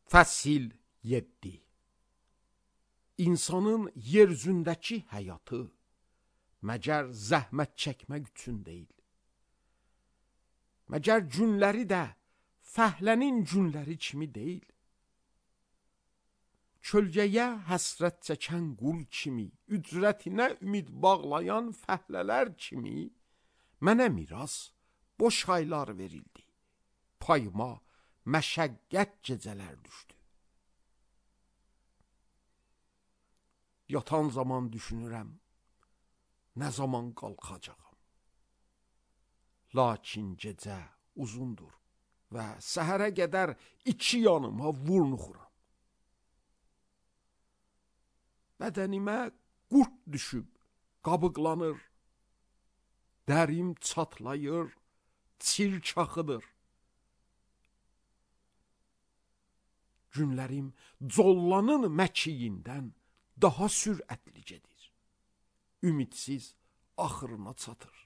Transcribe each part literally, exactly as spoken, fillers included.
Fəsil yeddi. İnsanın yeryüzündəki həyatı məgər zəhmət çəkmək üçün deyil. Məgər günləri də fəhlənin günləri kimi deyil. Kölgəyə həsrət çəkən qul kimi, ücrətinə ümid bağlayan fəhlələr kimi mənə miras boş aylar verildi. Payıma məşəqqət gecələr düşdü. Yatan zaman düşünürəm, nə zaman qalxacağam. Lakin gecə uzundur və səhərə qədər iki yanıma vurnuxuram. Bədənimə qurt düşüb, qabıqlanır. Dərim çatlayır, çir çaxıdır. Günlərim collanın məkiyindən daha sürətli gedir. Ümidsiz axırına çatır.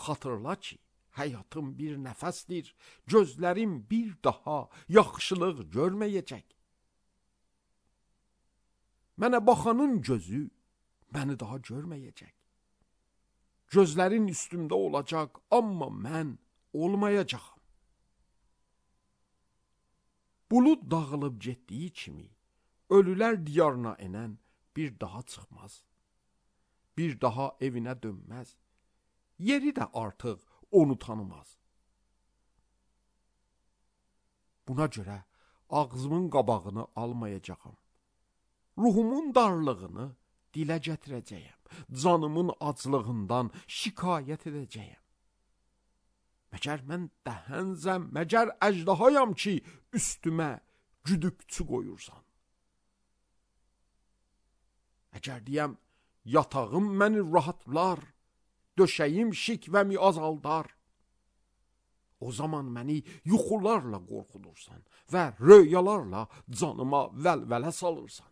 Xatırla ki, həyatım bir nəfəsdir, gözlərim bir daha yaxşılıq görməyəcək. Mənə baxanın gözü məni daha görməyəcək. Gözlərin üstümdə olacaq, amma mən olmayacağam. Bulud dağılıb getdiyi kimi, ölülər diyarına enən bir daha çıxmaz. Bir daha evinə dönməz. Yeri də artıq onu tanımaz. Buna görə ağzımın qabağını almayacağam. Ruhumun darlığını dilə gətirəcəyəm. Canımın aclığından şikayət edəcəyəm. Məgər mən dəhənzəm, məgər əjdahayam ki, üstümə güdükçü qoyursan. Əgər deyəm, yatağım məni rahatlar, döşəyim şikvəmi azaldar. O zaman məni yuxularla qorxudursan və röyalarla canıma vəlvələ salırsan.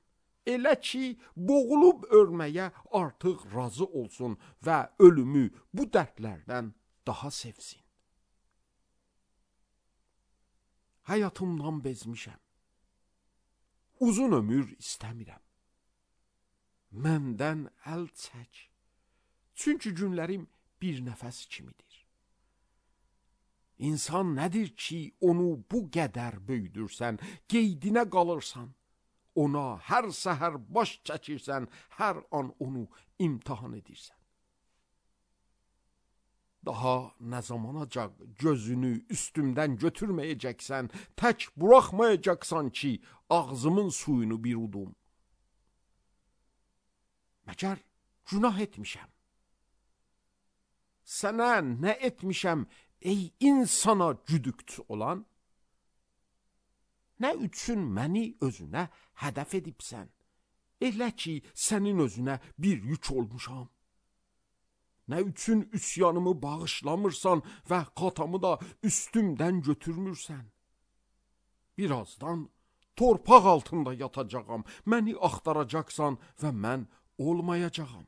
Elə ki, boğulub ölməyə artıq razı olsun və ölümü bu dərdlərdən daha sevsin. Həyatımdan bezmişəm. Uzun ömür istəmirəm. Məndən əl çək. Çünki günlərim bir nəfəs kimidir. İnsan nədir ki, onu bu qədər böyüdürsən, qeydinə qalırsan. Ona hər səhər baş çəkirsən, hər an onu imtihan edirsən. Daha nə zamanacaq gözünü üstümdən götürməyəcəksən, tək buraxmayacaqsan ki, ağzımın suyunu bir udum. Məgər günah etmişəm. Sənə nə etmişəm, ey insana güdükçü olan? Nə üçün məni özünə hədəf edibsən? Elə ki, sənin özünə bir yük olmuşam. Nə üçün üsyanımı bağışlamırsan və qatamı da üstümdən götürmürsən? Birazdan torpaq altında yatacağam, məni axtaracaqsan və mən olmayacağam.